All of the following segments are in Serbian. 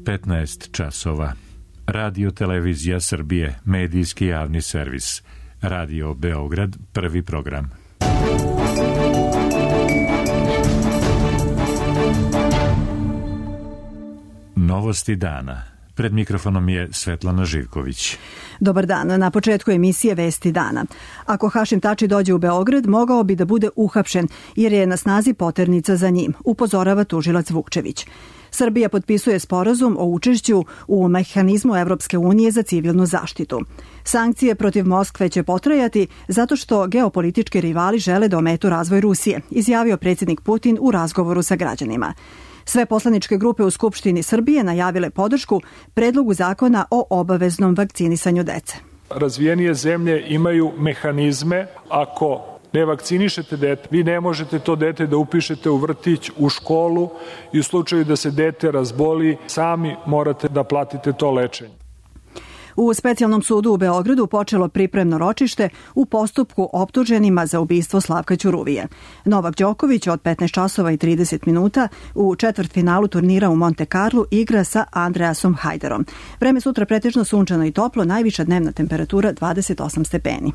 15 časova. Radio Televizija Srbije, medijski javni servis. Radio Beograd, prvi program. Novosti dana. Pred mikrofonom je Svetlana Živković. Dobar dan. Na početku emisije Vesti dana. Ako Hašim Tači dođe u Beograd, mogao bi da bude uhapšen, jer je na snazi poternica za njim, upozorava tužilac Vukčević. Srbija potpisuje sporazum o učešću u mehanizmu Evropske unije za civilnu zaštitu. Sankcije protiv Moskve će potrajati zato što geopolitički rivali žele da ometu razvoj Rusije, izjavio predsjednik Putin u razgovoru sa građanima. Sve poslaničke grupe u Skupštini Srbije najavile podršku predlogu zakona o obaveznom vakcinisanju dece. Razvijenije zemlje imaju mehanizme. Ako ne vakcinišete dete, vi ne možete to dete da upišete u vrtić, u školu i u slučaju da se dete razboli, sami morate da platite to lečenje. U specijalnom sudu u Beogradu počelo pripremno ročište u postupku optuženima za ubistvo Slavka Ćuruvije. Novak Đoković od 15 časova i 30 minuta u četvrtfinalu turnira u Monte Carlu igra sa Andreasom Hajderom. Vreme sutra pretežno sunčano i toplo, najviša dnevna temperatura 28 stepeni.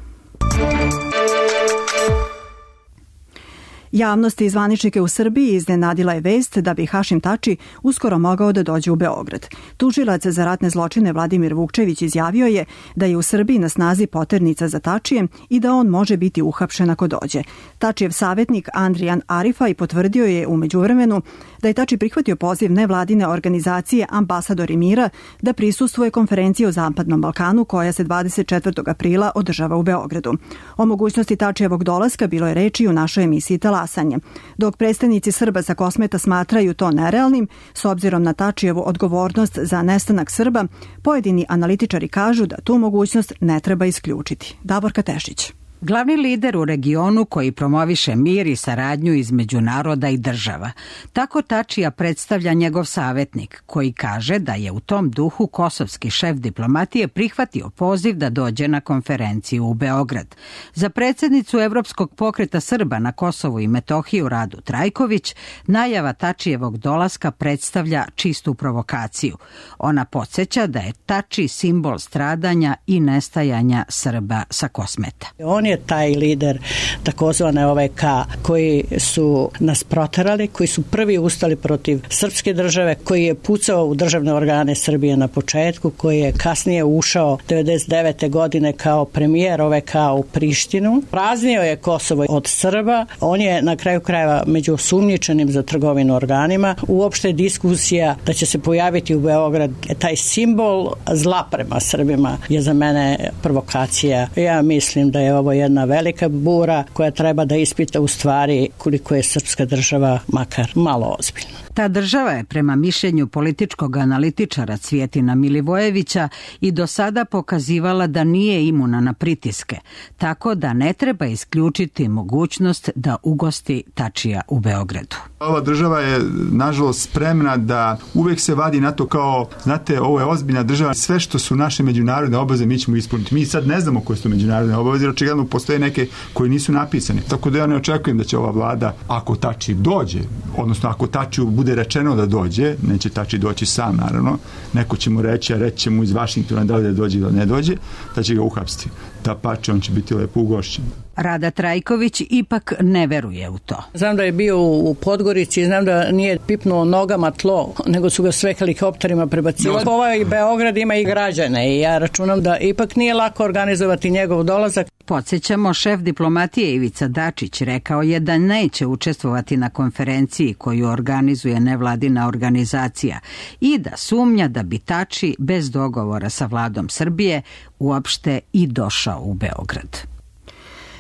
Javnost i zvaničnike u Srbiji iznenadila je vest da bi Hašim Tači uskoro mogao da dođe u Beograd. Tužilac za ratne zločine Vladimir Vukčević izjavio je da je u Srbiji na snazi poternica za Tačijem i da on može biti uhapšen ako dođe. Tačijev savjetnik Andrijan Arifaj potvrdio je u međuvremenu da je Tači prihvatio poziv nevladine organizacije Ambasadori mira da prisustvuje konferenciji o Zapadnom Balkanu koja se 24. aprila održava u Beogradu. O mogućnosti Tačijevog dolaska bilo je reči u našoj emisiji Talasanje. Dok predstavnici Srba sa Kosmeta smatraju to nerealnim, s obzirom na Tačijevu odgovornost za nestanak Srba, pojedini analitičari kažu da tu mogućnost ne treba isključiti. Davorka Tešić. Glavni lider u regionu koji promoviše mir i saradnju između naroda i država. Tako Tačija predstavlja njegov savjetnik, koji kaže da je u tom duhu kosovski šef diplomatije prihvatio poziv da dođe na konferenciju u Beograd. Za predsjednicu Evropskog pokreta Srba na Kosovu i Metohiju Radu Trajković, najava Tačijevog dolaska predstavlja čistu provokaciju. Ona podsjeća da je Tači simbol stradanja i nestajanja Srba sa Kosmeta. On je taj lider takozvane OVK koji su nas proterali, koji su prvi ustali protiv srpske države, koji je pucao u državne organe Srbije na početku, koji je kasnije ušao 99. godine kao premijer OVK u Prištinu. Praznio je Kosovo od Srba, on je na kraju krajeva među osumnjičenim za trgovinu organima. Uopšte diskusija da će se pojaviti u Beograd taj simbol zla prema Srbima je za mene provokacija. Ja mislim da je ovo jedna velika bura koja treba da ispita u stvari koliko je srpska država makar malo ozbiljna. Ta država je prema mišljenju političkog analitičara Cvjetina Milivojevića i do sada pokazivala da nije imuna na pritiske, tako da ne treba isključiti mogućnost da ugosti Tačija u Beogradu. Ova država je nažalost spremna da uvek se vadi na to kao, znate, ovo je ozbiljna država, sve što su naše međunarodne obaveze mi ćemo ispuniti. Mi sad ne znamo koje su međunarodne obaveze, jer očigledno postoje neke koje nisu napisane. Tako da ja ne očekujem da će ova vlada, ako Tači dođe, odnosno ako Tačiju bude rečeno da dođe, neće Tači doći sam naravno, neko će mu reći, a reći će mu iz Vašingtona da li da dođe ili ne dođe, da će ga uhapsiti. Dapače, on će biti lepo ugošćen. Rada Trajković ipak ne veruje u to. Znam da je bio u Podgorici, znam da nije pipnuo nogama tlo, nego su ga sve helikopterima prebacili. Ovaj Beograd ima i građane i ja računam da ipak nije lako organizovati njegov dolazak. Podsjećamo, šef diplomatije Ivica Dačić rekao je da neće učestvovati na konferenciji koju organizuje nevladina organizacija i da sumnja da bi Tači bez dogovora sa vladom Srbije uopšte i došao u Beograd.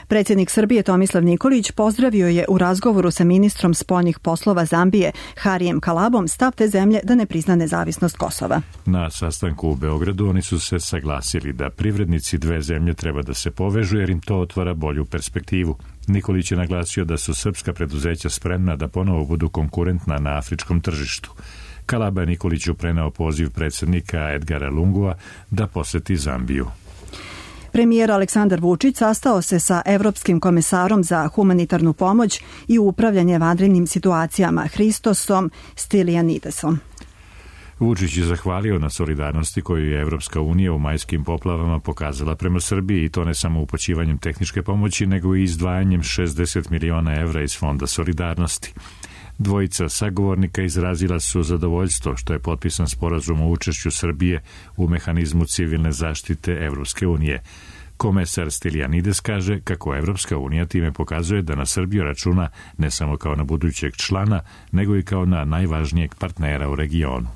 Predsjednik Srbije Tomislav Nikolić pozdravio je u razgovoru sa ministrom spoljnih poslova Zambije Harijem Kalabom stav te zemlje da ne prizna nezavisnost Kosova. Na sastanku u Beogradu oni su se saglasili da privrednici dve zemlje treba da se povežu jer im to otvara bolju perspektivu. Nikolić je naglasio da su srpska preduzeća spremna da ponovo budu konkurentna na afričkom tržištu. Kalaba je Nikoliću preneo poziv predsjednika Edgara Lungua da poseti Zambiju. Premijer Aleksandar Vučić sastao se sa Evropskim komesarom za humanitarnu pomoć i upravljanje vanrednim situacijama Hristosom Stylianidesom. Vučić je zahvalio na solidarnosti koju je Evropska unija u majskim poplavama pokazala prema Srbiji i to ne samo upućivanjem tehničke pomoći, nego i izdvajanjem 60 miliona evra iz Fonda solidarnosti. Dvojica sagovornika izrazila su zadovoljstvo što je potpisan sporazum o učešću Srbije u mehanizmu civilne zaštite Evropske unije. Komesar Stylianides kaže kako Evropska unija time pokazuje da na Srbiju računa ne samo kao na budućeg člana, nego i kao na najvažnijeg partnera u regionu.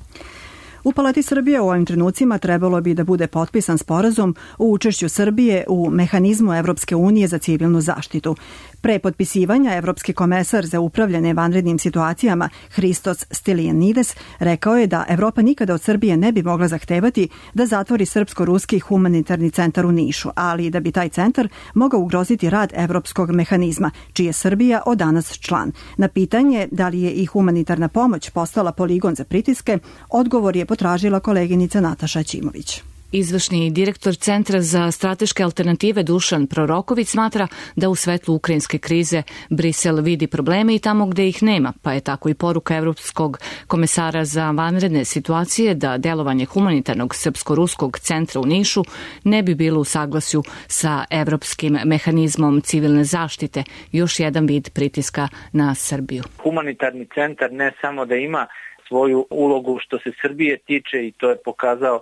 U Palati Srbije u ovim trenucima trebalo bi da bude potpisan sporazum o učešću Srbije u mehanizmu Evropske unije za civilnu zaštitu. Pre potpisivanja, Evropski komesar za upravljanje vanrednim situacijama Hristos Stylianides rekao je da Evropa nikada od Srbije ne bi mogla zahtevati da zatvori Srpsko-ruski humanitarni centar u Nišu, ali da bi taj centar mogao ugroziti rad Evropskog mehanizma, čiji je Srbija od danas član. Na pitanje da li je i humanitarna pomoć postala poligon za pritiske, odgovor je potražila koleginica Nataša Ćimović. Izvršni direktor Centra za strateške alternative Dušan Proroković smatra da u svetlu ukrajinske krize Brisel vidi probleme i tamo gde ih nema, pa je tako i poruka Evropskog komesara za vanredne situacije da delovanje humanitarnog srpsko-ruskog centra u Nišu ne bi bilo u saglasju sa Evropskim mehanizmom civilne zaštite, još jedan vid pritiska na Srbiju. Humanitarni centar ne samo da ima svoju ulogu što se Srbije tiče i to je pokazao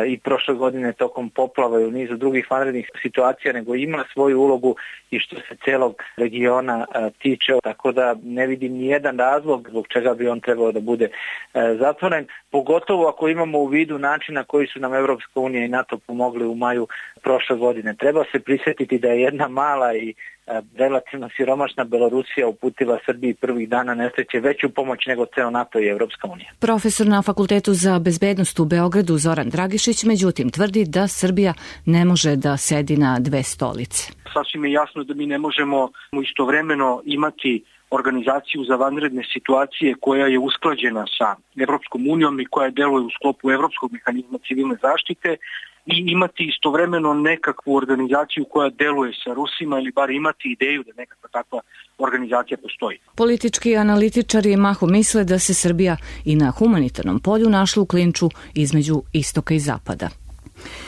i prošle godine tokom poplava i u nizu drugih vanrednih situacija, nego ima svoju ulogu i što se celog regiona tiče, tako da ne vidim ni jedan razlog zbog čega bi on trebao da bude zatvoren, pogotovo ako imamo u vidu načina koji su nam Evropska unija i NATO pomogli u maju prošle godine. Treba se prisjetiti da je jedna mala i relativno siromašna Belorusija uputila Srbiji prvih dana nesreće veću pomoć nego ceo NATO i Evropska unija. Profesor na Fakultetu za bezbednost u Beogradu Zoran Dragišić međutim tvrdi da Srbija ne može da sedi na dve stolice. Sasvim je jasno da mi ne možemo istovremeno imati organizaciju za vanredne situacije koja je usklađena sa Evropskom unijom i koja deluje u sklopu Evropskog mehanizma civilne zaštite i imati istovremeno nekakvu organizaciju koja deluje sa Rusima ili bar imati ideju da nekakva takva organizacija postoji. Politički analitičari mahom misle da se Srbija i na humanitarnom polju našla u klinču između istoka i zapada.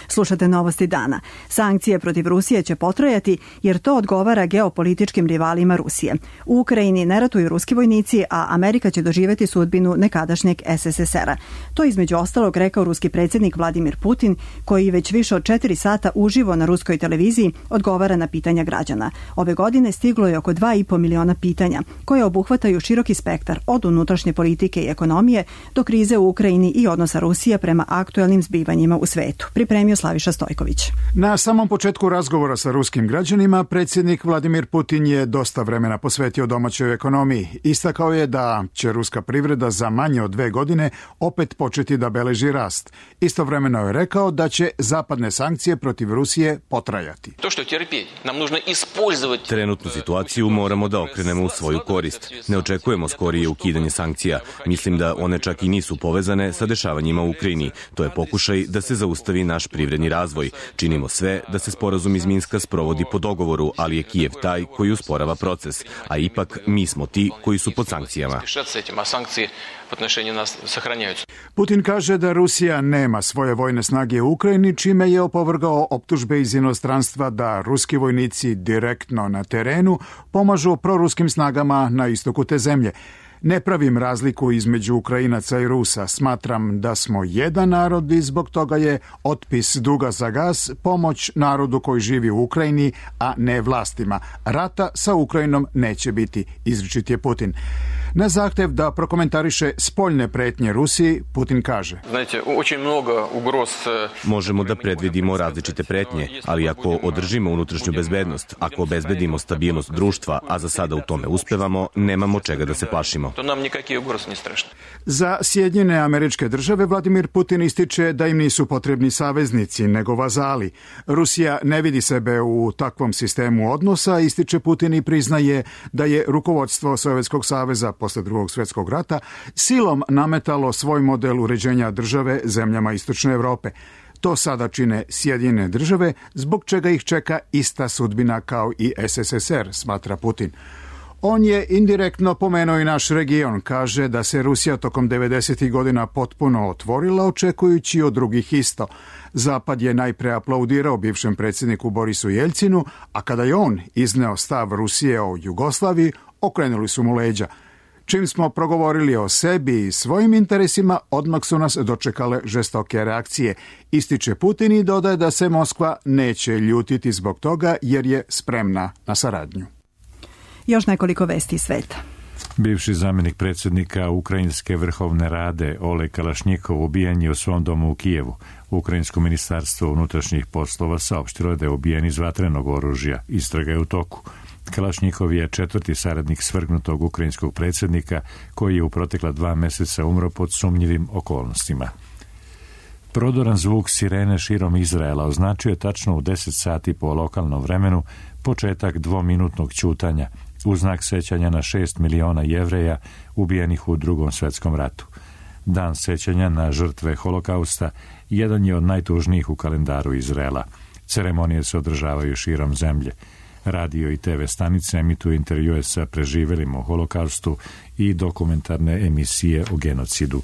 Slušate Novosti dana. Sankcije protiv Rusije će potrajati jer to odgovara geopolitičkim rivalima Rusije. U Ukrajini ne ratuju ruski vojnici, a Amerika će doživjeti sudbinu nekadašnjeg SSSR-a. To između ostalog rekao ruski predsjednik Vladimir Putin, koji već više od 4 sata uživo na ruskoj televiziji odgovara na pitanja građana. Ove godine stiglo je oko 2,5 miliona pitanja, koje obuhvataju široki spektar od unutrašnje politike i ekonomije do krize u Ukrajini i odnosa Rusije prema aktuelnim zbivanjima u svetu. Pripremio Slaviša Stojković. Na samom početku razgovora sa ruskim građanima, predsjednik Vladimir Putin je dosta vremena posvetio domaćoj ekonomiji. Istakao je da će ruska privreda za manje od 2 godine opet početi da beleži rast. Istovremeno je rekao da će zapadne sankcije protiv Rusije potrajati. Trenutnu situaciju moramo da okrenemo u svoju korist. Ne očekujemo skorije ukidanje sankcija. Mislim da one čak i nisu povezane sa dešavanjima u Ukrajini. To je pokušaj da se zaustavi naš privredni razvoj. Činimo sve da se sporazum iz Minska sprovodi po dogovoru, ali je Kijev taj koji usporava proces, a ipak mi smo ti koji su pod sankcijama. Putin kaže da Rusija nema svoje vojne snage u Ukrajini, čime je opovrgao optužbe iz inostranstva da ruski vojnici direktno na terenu pomažu proruskim snagama na istoku te zemlje. Ne pravim razliku između Ukrajinaca i Rusa. Smatram da smo jedan narod i zbog toga je otpis duga za gas pomoć narodu koji živi u Ukrajini, a ne vlastima. Rata sa Ukrajinom neće biti, izričit je Putin. Na zahtev da prokomentariše spoljne pretnje Rusiji, Putin kaže: Možemo da predvidimo različite pretnje, ali ako održimo unutrašnju bezbednost, ako obezbedimo stabilnost društva, a za sada u tome uspevamo, nemamo čega da se plašimo. Za Sjedinjene Američke Države Vladimir Putin ističe da im nisu potrebni saveznici, nego vazali. Rusija ne vidi sebe u takvom sistemu odnosa, ističe Putin i priznaje da je rukovodstvo Sovjetskog saveza posle Drugog svjetskog rata silom nametalo svoj model uređenja države zemljama Istočne Evrope. To sada čine Sjedinjene Države, zbog čega ih čeka ista sudbina kao i SSSR, smatra Putin. On je indirektno pomenuo i naš region. Kaže da se Rusija tokom 90. godina potpuno otvorila, očekujući od drugih isto. Zapad je najpre aplaudirao bivšem predsjedniku Borisu Jeljcinu, a kada je on izneo stav Rusije o Jugoslaviji, okrenuli su mu leđa. Čim smo progovorili o sebi i svojim interesima, odmah su nas dočekale žestoke reakcije. Ističe Putin i dodaje da se Moskva neće ljutiti zbog toga jer je spremna na saradnju. Još nekoliko vesti iz sveta. Bivši zamjenik predsjednika Ukrajinske vrhovne rade Oleg Kalašnjikov ubijen je u svom domu u Kijevu. Ukrajinsko ministarstvo unutrašnjih poslova saopštilo je da je ubijen iz vatrenog oružja. Istraga je u toku. Kalašnjikov je 4. saradnik svrgnutog ukrajinskog predsjednika koji je u protekla 2 mjeseca umro pod sumnjivim okolnostima. Prodoran zvuk sirene širom Izraela označio je tačno u 10 sati po lokalnom vremenu početak 2-minutnog ćutanja u znak sećanja na 6 miliona Jevreja ubijenih u Drugom svjetskom ratu. Dan sećanja na žrtve holokausta jedan je od najtužnijih u kalendaru Izraela. Ceremonije se održavaju širom zemlje. Radio i TV stanice emituju intervjue sa preživjelima u holokaustu i dokumentarne emisije o genocidu.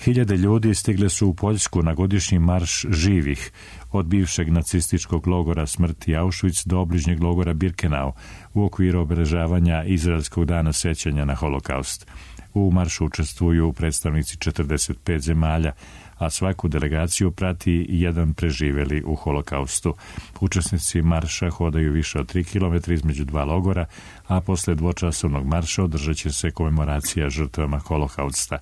Hiljade ljudi stigle su u Poljsku na godišnji marš živih od bivšeg nacističkog logora smrti Auschwitz do obližnjeg logora Birkenau u okviru obeležavanja Izraelskog dana sećanja na holokaust. U maršu učestvuju predstavnici 45 zemalja, a svaku delegaciju prati jedan preživjeli u holokaustu. Učesnici marša hodaju više od 3 km između 2 logora, a posle dvočasovnog marša održat će se komemoracija žrtvama holokausta.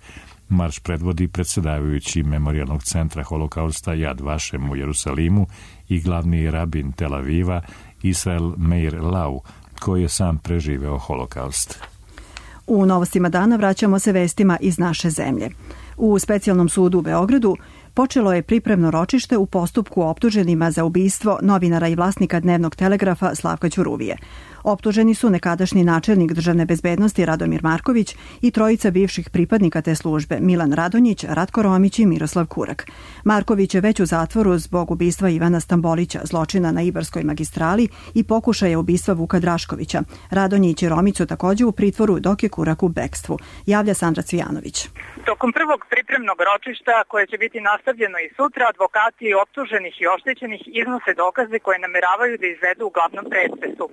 Marš predvodi predsjedavajući Memorijalnog centra holokausta Yad Vashem u Jerusalimu i glavni rabin Tel Aviva Israel Meir Lau, koji je sam preživeo holokaust. U novostima dana vraćamo se vestima iz naše zemlje. U Specijalnom sudu u Beogradu počelo je pripremno ročište u postupku optuženima za ubistvo novinara i vlasnika Dnevnog telegrafa Slavka Ćuruvije. Optuženi su nekadašnji načelnik državne bezbednosti Radomir Marković i trojica bivših pripadnika te službe Milan Radonjić, Ratko Romić i Miroslav Kurak. Marković je već u zatvoru zbog ubistva Ivana Stambolića, zločina na Ibarskoj magistrali i pokušaja ubistva Vuka Draškovića. Radonjić i Romić su također u pritvoru dok je Kurak u bekstvu. Javlja Sandra Cvijanović. Tokom prvog pripremnog ročišta, koje će biti nastavljeno i sutra, advokati optuženih i oštećenih iznose dokaze koje nameravaju da izvedu u glavnom pretresu.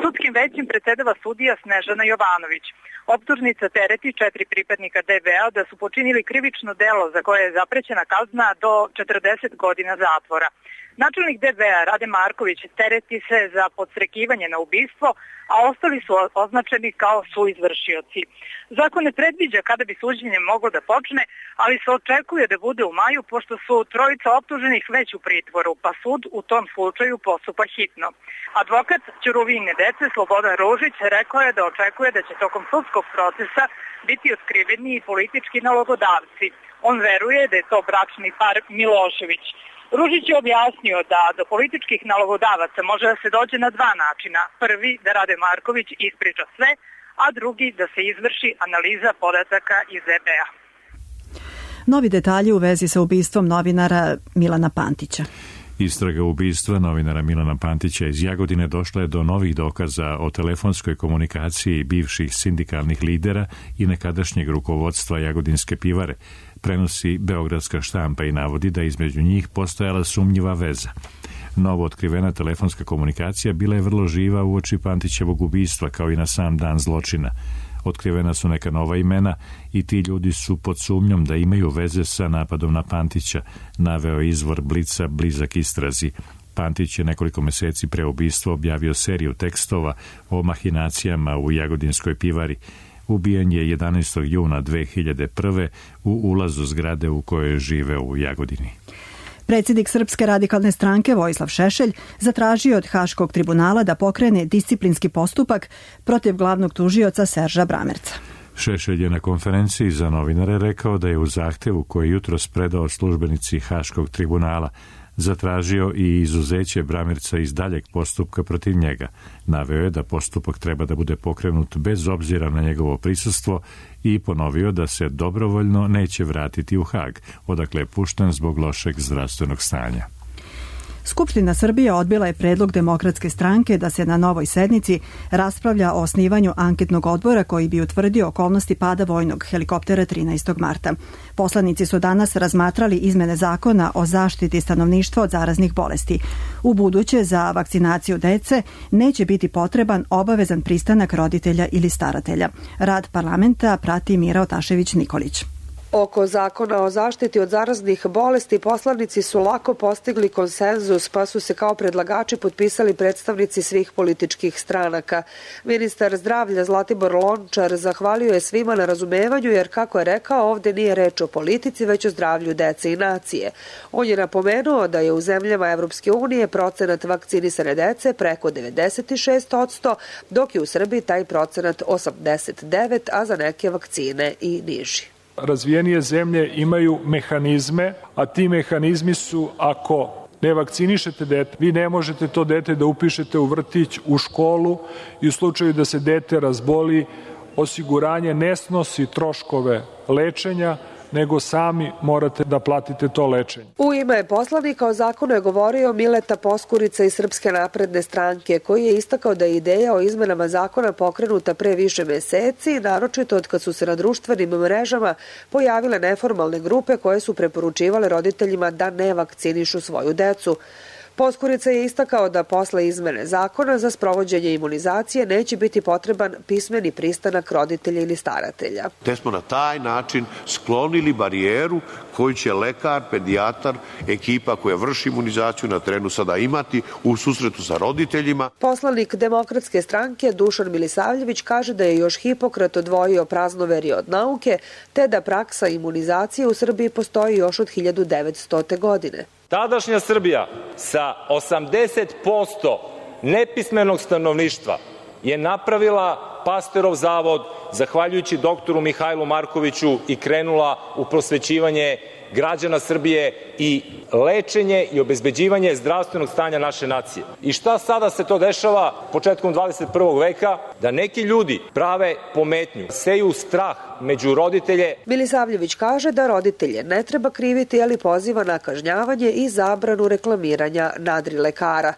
Sudskim većim predsedava sudija Snežana Jovanović. Optužnica tereti 4 pripadnika DBA da su počinili krivično delo za koje je zaprećena kazna do 40 godina zatvora. Načelnik DBA Rade Marković tereti se za podstrekivanje na ubistvo, a ostali su označeni kao suizvršioci. Zakon ne predviđa kada bi suđenje moglo da počne, ali se očekuje da bude u maju, pošto su trojica optuženih već u pritvoru, pa sud u tom slučaju postupa hitno. Advokat Ćuruvine dece Slobodan Ružić rekao je da očekuje da će tokom sudskog procesa biti otkriveni i politički nalogodavci. On veruje da je to bračni par Milošević. Ružić je objasnio da do političkih nalogodavaca može da se dođe na 2 načina. Prvi, da Rade Marković ispriča sve, a drugi, da se izvrši analiza podataka iz EBA. Novi detalji u vezi sa ubistvom novinara Milana Pantića. Istraga ubistva novinara Milana Pantića iz Jagodine došla je do novih dokaza o telefonskoj komunikaciji bivših sindikalnih lidera i nekadašnjeg rukovodstva Jagodinske pivare. Prenosi beogradska štampa i navodi da između njih postojala sumnjiva veza. Novo otkrivena telefonska komunikacija bila je vrlo živa uoči Pantićevog ubistva, kao i na sam dan zločina. Otkrivena su neka nova imena i ti ljudi su pod sumnjom da imaju veze sa napadom na Pantića, naveo izvor Blica blizak istrazi. Pantić je nekoliko mjeseci pre ubistva objavio seriju tekstova o mahinacijama u Jagodinskoj pivari. Ubijen je 11. juna 2001. u ulazu zgrade u kojoj žive u Jagodini. Predsjednik Srpske radikalne stranke Vojislav Šešelj zatražio od Haškog tribunala da pokrene disciplinski postupak protiv glavnog tužioca Serža Bramerca. Šešelj je na konferenciji za novinare rekao da je u zahtevu koji jutros predao službenici Haškog tribunala zatražio i izuzeće Bramerca iz daljeg postupka protiv njega. Naveo je da postupak treba da bude pokrenut bez obzira na njegovo prisustvo i ponovio da se dobrovoljno neće vratiti u Hag, odakle je pušten zbog lošeg zdravstvenog stanja. Skupština Srbije odbila je predlog Demokratske stranke da se na novoj sednici raspravlja o osnivanju anketnog odbora koji bi utvrdio okolnosti pada vojnog helikoptera 13. marta. Poslanici su danas razmatrali izmene zakona o zaštiti stanovništva od zaraznih bolesti. U buduće za vakcinaciju dece neće biti potreban obavezan pristanak roditelja ili staratelja. Rad parlamenta prati Mira Otašević-Nikolić. Oko zakona o zaštiti od zaraznih bolesti poslanici su lako postigli konsenzus, pa su se kao predlagači potpisali predstavnici svih političkih stranaka. Ministar zdravlja Zlatibor Lončar zahvalio je svima na razumevanju jer, kako je rekao, ovde nije reč o politici, već o zdravlju dece i nacije. On je napomenuo da je u zemljama Evropske unije procenat vakcinisane dece preko 96%, dok je u Srbiji taj procenat 89%, a za neke vakcine i niži. Razvijenije zemlje imaju mehanizme, a ti mehanizmi su ako ne vakcinišete dete, vi ne možete to dete da upišete u vrtić, u školu i u slučaju da se dete razboli, osiguranje ne snosi troškove lečenja, nego sami morate da platite to lečenje. U ime poslanika o zakonu je govorio Mileta Poskurica iz Srpske napredne stranke, koji je istakao da je ideja o izmenama zakona pokrenuta pre više meseci, naročito od kad su se na društvenim mrežama pojavile neformalne grupe koje su preporučivale roditeljima da ne vakcinišu svoju decu. Poskurica je istakao da posle izmene zakona za sprovođenje imunizacije neće biti potreban pismeni pristanak roditelja ili staratelja. Te smo na taj način sklonili barijeru koju će lekar, pedijatar, ekipa koja vrši imunizaciju na terenu sada imati u susretu sa roditeljima. Poslanik Demokratske stranke Dušan Milisavljević kaže da je još Hipokrat odvojio praznoverje od nauke, te da praksa imunizacije u Srbiji postoji još od 1900. godine. Tadašnja Srbija sa 80% nepismenog stanovništva je napravila Pasterov zavod zahvaljujući doktoru Mihajlu Markoviću i krenula u prosvećivanje građana Srbije i lečenje i obezbeđivanje zdravstvenog stanja naše nacije. I šta sada se to dešava početkom 21. veka? Da neki ljudi prave pometnju, seju strah među roditelje. Milisavljević kaže da roditelje ne treba kriviti, ali poziva na kažnjavanje i zabranu reklamiranja nadrilekara.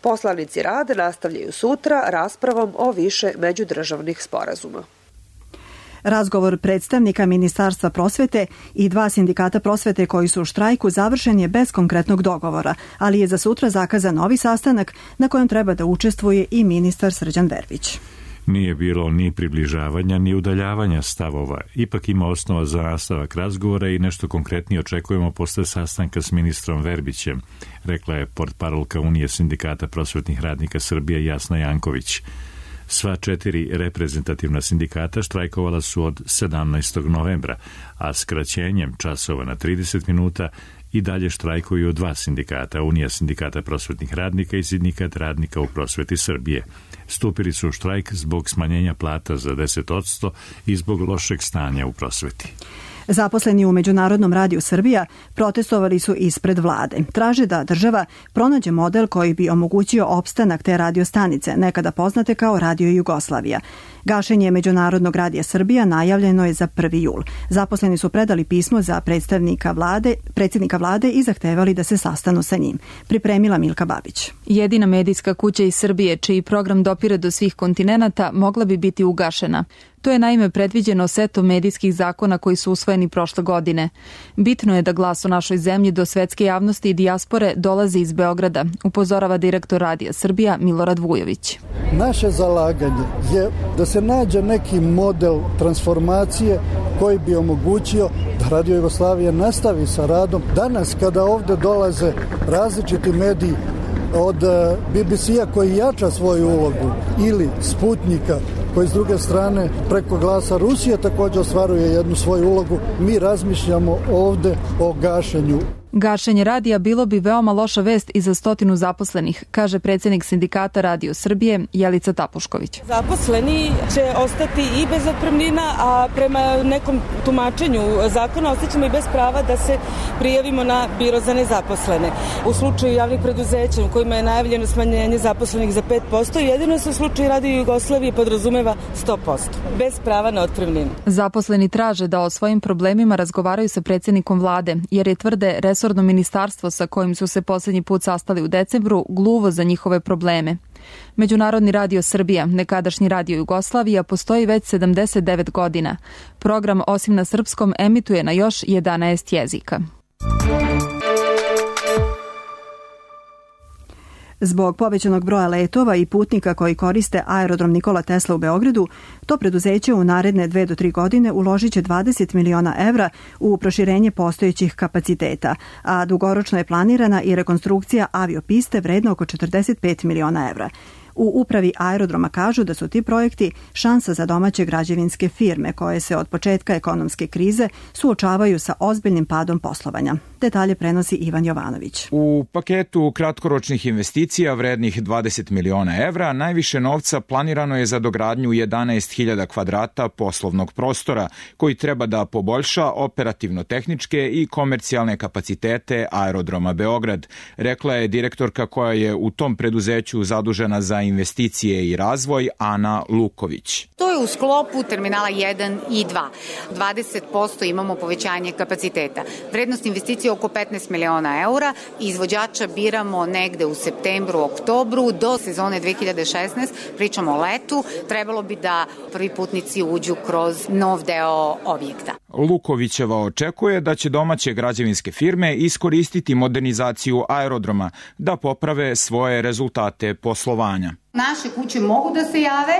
Poslanici rade nastavljaju sutra raspravom o više međudržavnih sporazuma. Razgovor predstavnika Ministarstva prosvete i 2 sindikata prosvete koji su u štrajku završen je bez konkretnog dogovora, ali je za sutra zakazan novi sastanak na kojem treba da učestvuje i ministar Srđan Verbić. Nije bilo ni približavanja ni udaljavanja stavova. Ipak ima osnova za nastavak razgovora i nešto konkretnije očekujemo posle sastanka s ministrom Verbićem, rekla je portparolka Unije sindikata prosvetnih radnika Srbije Jasna Janković. Sva 4 reprezentativna sindikata štrajkovala su od 17. novembra, a skraćenjem časova na 30 minuta i dalje štrajkuju 2 sindikata, Unija sindikata prosvetnih radnika i Sindikat radnika u prosveti Srbije. Stupili su u štrajk zbog smanjenja plata za 10% i zbog lošeg stanja u prosveti. Zaposleni u Međunarodnom radiju Srbija protestovali su ispred vlade. Traže da država pronađe model koji bi omogućio opstanak te radiostanice, nekada poznate kao Radio Jugoslavija. Gašenje Međunarodnog radija Srbija najavljeno je za 1. jul. Zaposleni su predali pismo za predsjednika vlade i zahtevali da se sastanu sa njim. Pripremila Milka Babić. Jedina medijska kuća iz Srbije, čiji program dopire do svih kontinenata, mogla bi biti ugašena. To je naime predviđeno setom medijskih zakona koji su usvojeni prošle godine. Bitno je da glas o našoj zemlji do svetske javnosti i dijaspore dolazi iz Beograda, upozorava direktor Radija Srbija Milorad Vujović. Naše zalaganje je da se nađe neki model transformacije koji bi omogućio da Radio Jugoslavija nastavi sa radom. Danas kada ovde dolaze različiti mediji od BBC-a koji jača svoju ulogu ili Sputnika koji s druge strane preko glasa Rusije također ostvaruje jednu svoju ulogu, mi razmišljamo ovde o gašenju. Gašenje radija bilo bi veoma loša vest i za 100 zaposlenih, kaže predsjednik sindikata Radio Srbije Jelica Tapušković. Zaposleni će ostati i bez otpremnina, a prema nekom tumačenju zakona ostaćemo i bez prava da se prijavimo na biro za nezaposlene. U slučaju javnih preduzeća u kojima je najavljeno smanjenje zaposlenih za 5%, jedino se u slučaju Radio Jugoslavije podrazumeva 100%, bez prava na otpremninu. Zaposleni traže da o svojim problemima razgovaraju sa predsjednikom vlade, jer je tvrde resorni resorno ministarstvo sa kojim su se poslednji put sastali u decembru gluvo za njihove probleme. Međunarodni radio Srbija, nekadašnji radio Jugoslavija, postoji već 79 godina. Program, osim na srpskom, emituje na još 11 jezika. Zbog povećanog broja letova i putnika koji koriste aerodrom Nikola Tesla u Beogradu, to preduzeće u naredne 2 do 3 godine uložit će 20 miliona evra u proširenje postojećih kapaciteta, a dugoročno je planirana i rekonstrukcija aviopiste vredna oko 45 miliona evra. U upravi aerodroma kažu da su ti projekti šansa za domaće građevinske firme koje se od početka ekonomske krize suočavaju sa ozbiljnim padom poslovanja. Detalje prenosi Ivan Jovanović. U paketu kratkoročnih investicija vrednih 20 miliona evra najviše novca planirano je za dogradnju 11.000 kvadrata poslovnog prostora koji treba da poboljša operativno-tehničke i komercijalne kapacitete aerodroma Beograd, rekla je direktorka koja je u tom preduzeću zadužena za investicije i razvoj Ana Luković. To je u sklopu terminala 1 i 2. 20% imamo povećanje kapaciteta. Vrednost investicije oko 15 miliona eura. Izvođača biramo negde u septembru, oktobru, do sezone 2016. Pričamo o letu. Trebalo bi da prvi putnici uđu kroz nov deo objekta. Lukovićeva očekuje da će domaće građevinske firme iskoristiti modernizaciju aerodroma da poprave svoje rezultate poslovanja. Naše kuće mogu da se jave,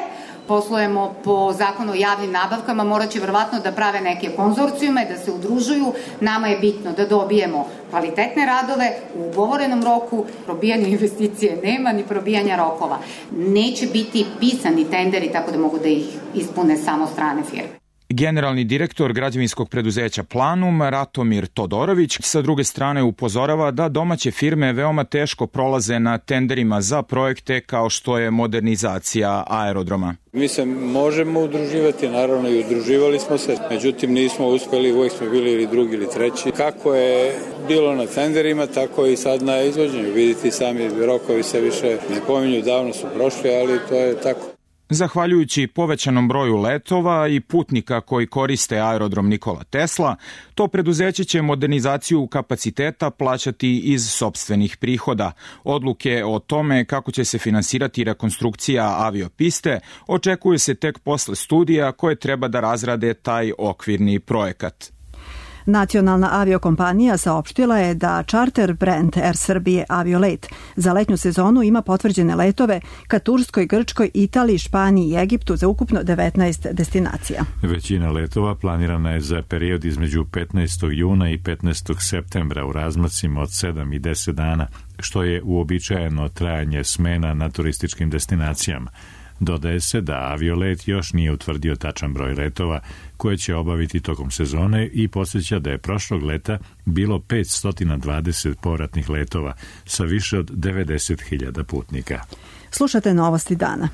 poslujemo po zakonu o javnim nabavkama, morat će verovatno da prave neke konzorcijume, da se udružuju. Nama je bitno da dobijemo kvalitetne radove u ugovorenom roku, probijanja investicije nema, ni probijanja rokova. Neće biti pisani tenderi tako da mogu da ih ispune samo strane firme. Generalni direktor građevinskog preduzeća Planum, Ratomir Todorović, sa druge strane upozorava da domaće firme veoma teško prolaze na tenderima za projekte kao što je modernizacija aerodroma. Mi se možemo udruživati, naravno i udruživali smo se, međutim nismo uspeli, uvijek smo bili ili drugi ili treći. Kako je bilo na tenderima, tako i sad na izvođenju. Vidite, sami rokovi se više ne pominju, davno su prošli, ali to je tako. Zahvaljujući povećanom broju letova i putnika koji koriste aerodrom Nikola Tesla, to preduzeće će modernizaciju kapaciteta plaćati iz sopstvenih prihoda. Odluke o tome kako će se finansirati rekonstrukcija aviopiste očekuje se tek posle studija koje treba da razrade taj okvirni projekat. Nacionalna aviokompanija saopštila je da charter brand Air Srbije Aviolet za letnju sezonu ima potvrđene letove ka Turskoj, Grčkoj, Italiji, Španiji i Egiptu za ukupno 19 destinacija. Većina letova planirana je za period između 15. juna i 15. septembra u razmacima od 7 i 10 dana, što je uobičajeno trajanje smena na turističkim destinacijama. Dodaje se da Aviolet još nije utvrdio tačan broj letova koje će obaviti tokom sezone i podsjeća da je prošlog leta bilo 520 povratnih letova sa više od 90.000 putnika. Slušate novosti dana.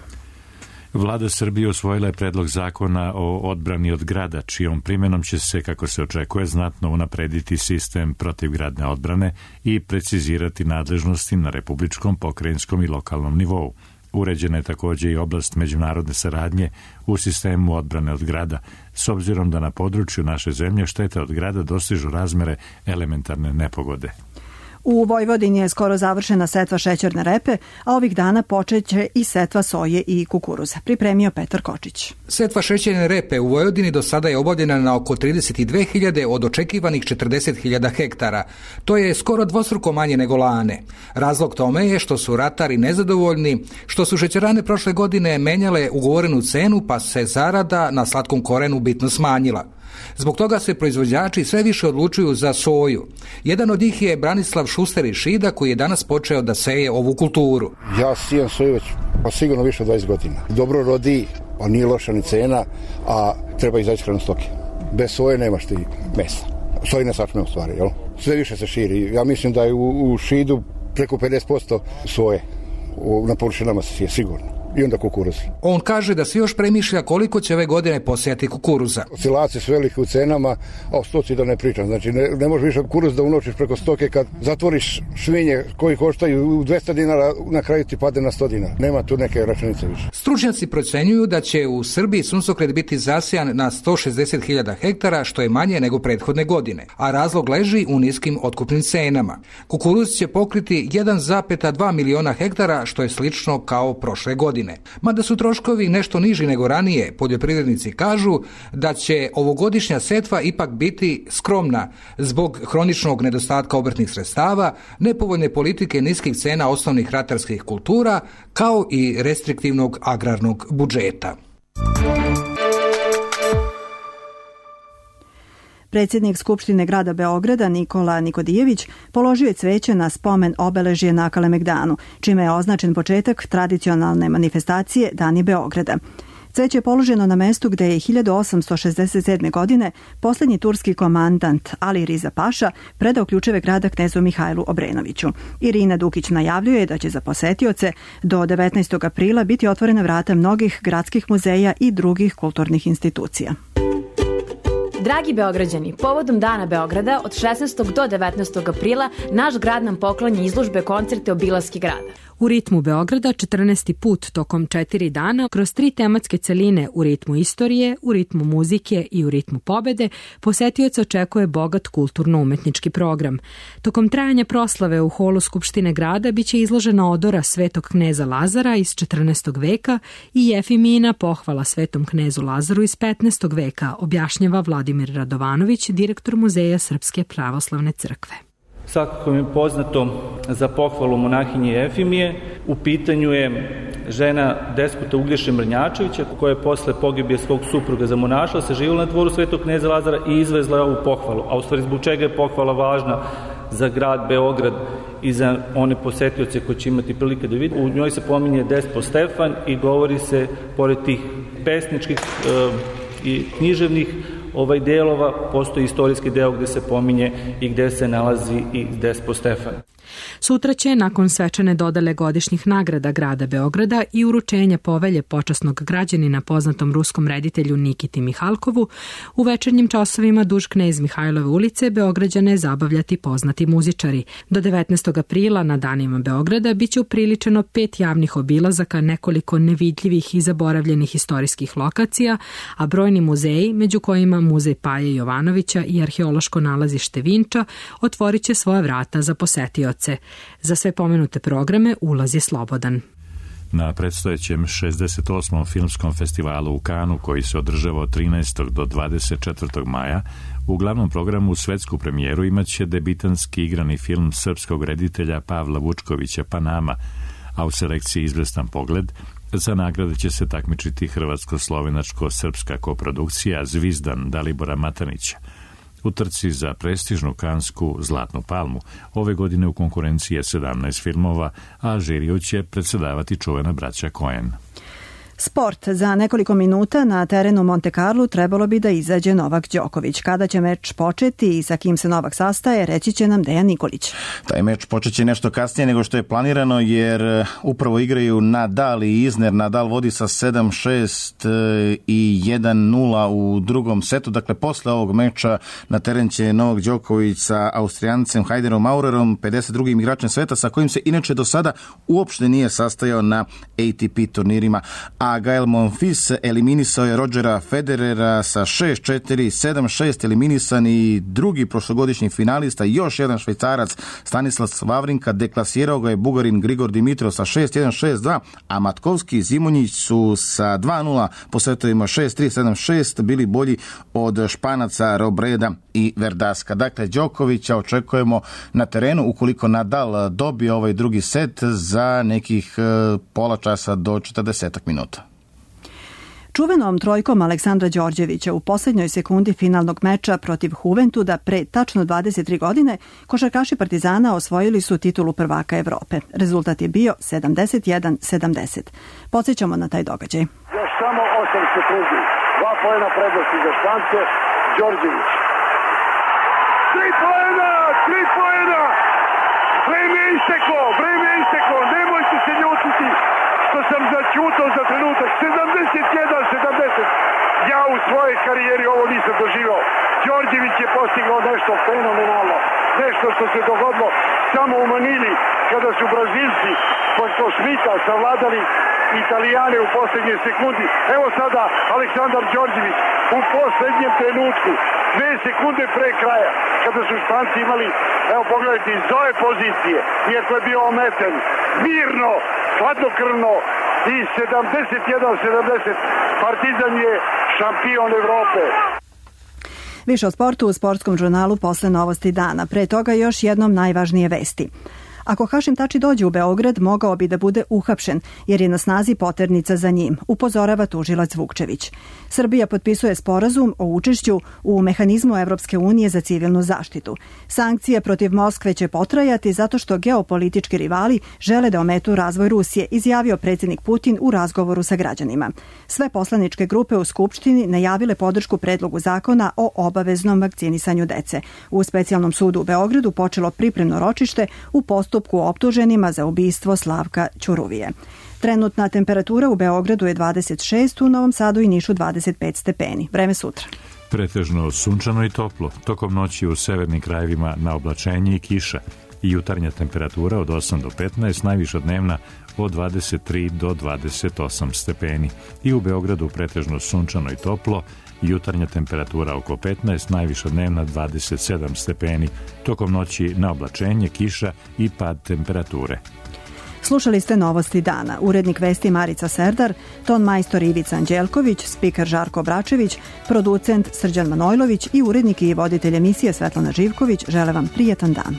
Vlada Srbije usvojila je predlog zakona o odbrani od grada, čijom primjenom će se, kako se očekuje, znatno unaprediti sistem protivgradne odbrane i precizirati nadležnosti na republičkom, pokrajinskom i lokalnom nivou. Uređena je također i oblast međunarodne saradnje u sistemu odbrane od grada, s obzirom da na području naše zemlje štete od grada dostižu razmere elementarne nepogode. U Vojvodini je skoro završena setva šećerne repe, a ovih dana počeće i setva soje i kukuruza. Pripremio Petar Kočić. Setva šećerne repe u Vojvodini do sada je obavljena na oko 32.000 od očekivanih 40.000 hektara. To je skoro dvostruko manje nego lane. Razlog tome je što su ratari nezadovoljni, što su šećerane prošle godine menjale ugovorenu cenu, pa se zarada na slatkom korenu bitno smanjila. Zbog toga se proizvođači sve više odlučuju za soju. Jedan od njih je Branislav Šuster iz Šida, koji je danas počeo da seje ovu kulturu. Ja sijem soju već sigurno više od 20 godina. Dobro rodi, pa nije loša ni cena, a treba izaći hranu stoke. Bez soje nemaš ti mesa. Sojine sačme u stvari, jel? Sve više se širi. Ja mislim da je u Šidu preko 50% soje na površinama se sije, sigurno. i onda kukuruz. On kaže da se još premišlja koliko će ove godine posejati kukuruza. Oscilacije su velike u cenama, a o stoci da ne pričam. Znači ne možeš više kukuruz da unočiš preko stoke kad zatvoriš švinje koji koštaju 200 dinara, na kraju ti pade na 100 dinara. Nema tu neke računice više. Stručnjaci procenjuju da će u Srbiji suncokret biti zasejan na 160.000 hektara, što je manje nego prethodne godine, a razlog leži u niskim otkupnim cenama. Kukuruz će pokriti 1,2 miliona hektara, što je slično kao prošle godine. Mada su troškovi nešto niži nego ranije, poljoprivrednici kažu da će ovogodišnja setva ipak biti skromna zbog hroničnog nedostatka obrtnih sredstava, nepovoljne politike niskih cena osnovnih ratarskih kultura, kao i restriktivnog agrarnog budžeta. Predsjednik Skupštine grada Beograda Nikola Nikodijević položio je cveće na spomen obeležje na Kalemegdanu, čime je označen početak tradicionalne manifestacije Dani Beograda. Cveće je položeno na mestu gde je 1867. godine posljednji turski komandant Ali Riza Paša predao ključeve grada knezu Mihajlu Obrenoviću. Irina Dukić najavljuje da će za posetioce do 19. aprila biti otvorena vrata mnogih gradskih muzeja i drugih kulturnih institucija. Dragi Beograđani, povodom Dana Beograda od 16. do 19. aprila naš grad nam poklanja izložbe, koncerte, obilaske grada. U ritmu Beograda 14. put tokom 4 dana kroz 3 tematske celine u ritmu istorije, u ritmu muzike i u ritmu pobede posetioca očekuje bogat kulturno-umetnički program. Tokom trajanja proslave u holu Skupštine grada biće izložena odora Svetog kneza Lazara iz 14. veka i Jefimina pohvala Svetom knezu Lazaru iz 15. veka, objašnjava Vladimir Radovanović, direktor Muzeja Srpske pravoslavne crkve. Svakako mi je poznato za pohvalu monahinje Jefimije. U pitanju je žena desputa Uglješe Mrnjačevića, koja je posle pogibije svog supruga zamonašila, se živjela na dvoru Svetog kneza Lazara i izvezla je ovu pohvalu. A u stvari zbog čega je pohvala važna za grad Beograd i za one posetioce koji će imati prilike da vidi. U njoj se pominje Despo Stefan i govori se, pored tih pesničkih i književnih delova, postoji istorijski deo gde se pominje i gde se nalazi i Despo Stefan. Sutra će, nakon svečane dodele godišnjih nagrada grada Beograda i uručenja povelje počasnog građanina poznatom ruskom reditelju Nikiti Mihalkovu, u večernjim časovima duž Knez Mihajlove ulice Beograđane zabavljati poznati muzičari. Do 19. aprila na danima Beograda biće upriličeno 5 javnih obilazaka, nekoliko nevidljivih i zaboravljenih istorijskih lokacija, a brojni muzeji, među kojima Muzej Paje Jovanovića i arheološko nalazište Vinča, otvorit će svoja vrata za posetioce. Za sve pomenute programe ulaz je slobodan. Na predstojećem 68. filmskom festivalu u Kanu, koji se održava od 13. do 24. maja, u glavnom programu svetsku premijeru imaće debitanski igrani film srpskog reditelja Pavla Vučkovića Panama, a u selekciji Izvestan pogled za nagrade će se takmičiti hrvatsko-slovenačko-srpska koprodukcija Zvizdan Dalibora Matanića. U trci za prestižnu kansku Zlatnu palmu ove godine u konkurenciji je 17 filmova, a žiriju će predsedavati čuvena braća Coen. Sport. Za nekoliko minuta na terenu Monte Carlo trebalo bi da izađe Novak Đoković. Kada će meč početi i sa kim se Novak sastaje, reći će nam Dejan Nikolić. Taj meč počeće nešto kasnije nego što je planirano, jer upravo igraju Nadal i Isner. Nadal vodi sa 7-6 i 1-0 u drugom setu. Dakle, posle ovog meča na teren će Novak Đoković sa Austrijancem Hajderom Maurerom, 52. igračem sveta, sa kojim se inače do sada uopšte nije sastajao na ATP turnirima. A Gael Monfils eliminisao je Rodgera Federera sa 6-4, 7-6 eliminisan i drugi prošlogodišnji finalista, još jedan Švajcarac Stanislav Wawrinka, deklasirao ga je Bugarin Grigor Dimitrov sa 6-1, 6-2, a Matkovski i Zimonjić su sa 2-0 po setovima 6-3, 7-6 bili bolji od Španaca Robreda i Verdaska. Dakle, Đokovića očekujemo na terenu ukoliko Nadal dobije ovaj drugi set za nekih pola časa do 40 minuta. Čuvenom trojkom Aleksandra Đorđevića u posljednjoj sekundi finalnog meča protiv Juventuda pre tačno 23 godine košarkaši Partizana osvojili su titulu prvaka Evrope. Rezultat je bio 71-70. Podsjećamo na taj događaj. Još samo 8 sekundi. 2 poena prednosti za Špance. Đorđević. 3 poena! 3 poena! Vreme je isteklo! Nemojte se ljutiti! što sam začutao za trenutak. 71-70. Ja u svojoj karijeri ovo nisam doživao. Đorđević je postigao nešto fenomenalno. Nešto što se dogodilo samo u Manili, kada su Brazilci pošto Šmita savladali Italijane u poslednjoj sekundi. Evo sada Aleksandar Đorđević u poslednjem trenutku, 2 sekunde pre kraja, kada su Španci imali, evo pogledajte, iz ove pozicije, iako je bio ometen, mirno, hladnokrvno i 71-70, Partizan je šampion Evrope. Više o sportu u sportskom žurnalu posle Novosti dana. Pre toga još jednom najvažnije vesti. Ako Hašim Tači dođe u Beograd, mogao bi da bude uhapšen, jer je na snazi poternica za njim, upozorava tužilac Vukčević. Srbija potpisuje sporazum o učešću u mehanizmu Evropske unije za civilnu zaštitu. Sankcije protiv Moskve će potrajati zato što geopolitički rivali žele da ometu razvoj Rusije, izjavio predsjednik Putin u razgovoru sa građanima. Sve poslaničke grupe u Skupštini najavile podršku predlogu zakona o obaveznom vakcinisanju dece. U specijalnom sudu u Beogradu počelo pripremno ročište u postupku optuženima za ubistvo Slavka Ćuruvije. Trenutna temperatura u Beogradu je 26, u Novom Sadu i Nišu 25 stepeni. Vreme sutra. Pretežno sunčano i toplo. Tokom noći u severnim krajevima na oblačenje i kiša. I jutarnja temperatura od 8 do 15, najviša dnevna od 23 do 28 stepeni. I u Beogradu pretežno sunčano i toplo. Jutarnja temperatura oko 15, najviša dnevna 27 stepeni. Tokom noći na oblačenje, kiša i pad temperature. Slušali ste Novosti dana. Urednik vesti Marica Serdar, ton majstor Ivica Anđelković, spiker Žarko Bračević, producent Srđan Manojlović i urednik i voditelj emisije Svetlana Živković žele vam prijetan dan.